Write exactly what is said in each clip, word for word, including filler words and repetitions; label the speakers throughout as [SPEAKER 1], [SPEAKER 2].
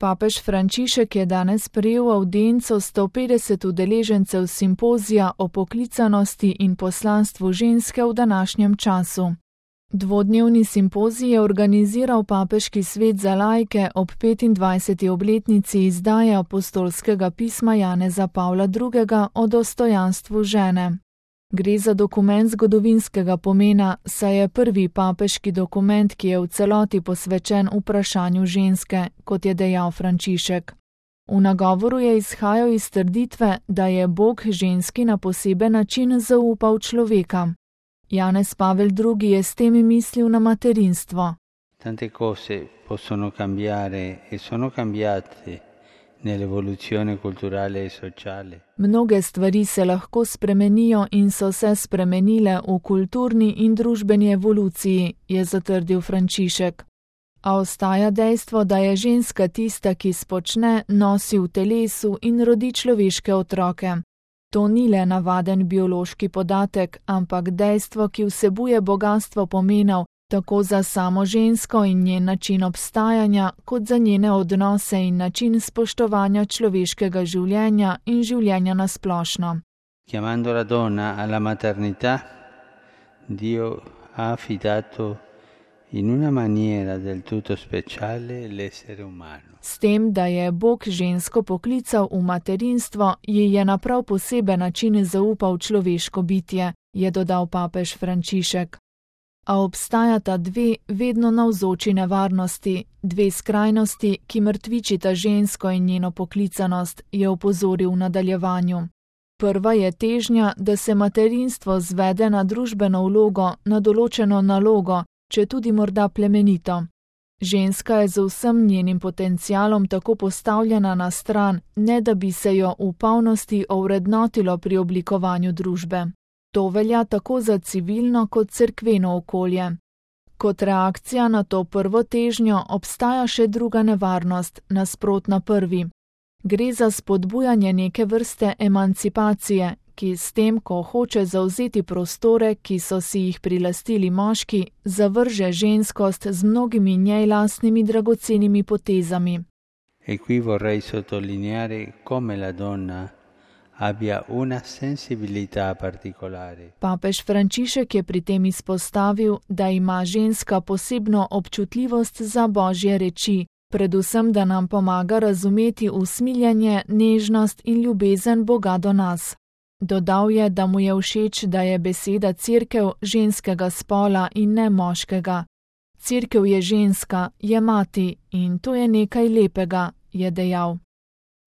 [SPEAKER 1] Papež Frančišek je danes sprejel avdienco sto petdeset udeležencev simpozija o poklicanosti in poslanstvu ženske v današnjem času. Dvodnevni simpozij je organiziral Papeški svet za laike ob petindvajseti obletnici izdaje apostolskega pisma Janeza Pavla drugega o dostojanstvu žene. Gre za dokument zgodovinskega pomena, saj je prvi papeški dokument, ki je v celoti posvečen vprašanju ženske, kot je dejal Frančišek. V nagovoru je izhajal iz trditve, da je Bog ženski na poseben način zaupal človeka. Janez Pavel drugi je s tem mislil na materinstvo.
[SPEAKER 2] Tante cose possono cambiare e sono cambiate nell'evoluzione culturale e sociale.
[SPEAKER 1] Mnoge stvari se lahko spremenijo in so se spremenile v kulturni in družbeni evoluciji, je zatrdil Frančišek. A ostaja dejstvo, da je ženska tista, ki spočne, nosi v telesu in rodi človeške otroke. To ni le navaden biološki podatek, ampak dejstvo, ki vsebuje bogastvo pomenov, tako za samo žensko in njen način obstajanja, kot za njene odnose in način spoštovanja človeškega življenja in življenja na splošno.
[SPEAKER 2] Chiamando la donna alla maternità, Dio ha affidato in una maniera del tutto speciale l'essere umano.
[SPEAKER 1] S tem, da je Bog žensko poklical v materinstvo, ji je na prav poseben način zaupal človeško bitje, je dodal papež Frančišek. A obstajata dve vedno navzoči nevarnosti, dve skrajnosti, ki mrtvičita žensko in njeno poklicanost, je opozoril v nadaljevanju. Prva je težnja, da se materinstvo zvede na družbeno vlogo, na določeno nalogo, če tudi morda plemenito. Ženska je z vsem njenim potencialom tako postavljena na stran, ne da bi se jo v polnosti ovrednotilo pri oblikovanju družbe. To velja tako za civilno kot cerkveno okolje. Kot reakcija na to prvo težnjo obstaja še druga nevarnost, nasprotna prvi. Gre za spodbujanje neke vrste emancipacije, ki s tem, ko hoče zavzeti prostore, ki so si jih prilastili moški, zavrže ženskost z mnogimi njej lastnimi dragocenimi potezami.
[SPEAKER 2] E qui vorrei sottolineare come la donna abbia una sensibilità particolare.
[SPEAKER 1] Papež Frančišek je pri tem izpostavil, da ima ženska posebno občutljivost za Božje reči, predvsem da nam pomaga razumeti usmiljanje, nežnost in ljubezen Boga do nas. Dodal je, da mu je všeč, da je beseda cerkev ženskega spola in ne moškega. Cerkev je ženska, je mati in to je nekaj lepega, je dejal.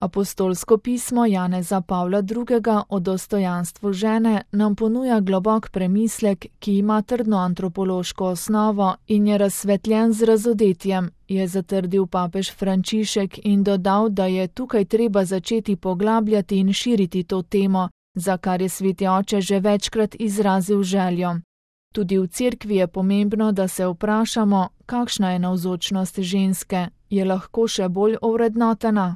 [SPEAKER 1] Apostolsko pismo Janeza Pavla drugega o dostojanstvu žene nam ponuja globok premislek, ki ima trdno antropološko osnovo in je razsvetljen z razodetjem, je zatrdil papež Frančišek in dodal, da je tukaj treba začeti poglabljati in širiti to temo, za kar je sveti oče že večkrat izrazil željo. Tudi v cerkvi je pomembno, da se vprašamo, kakšna je navzočnost ženske, je lahko še bolj ovrednotena.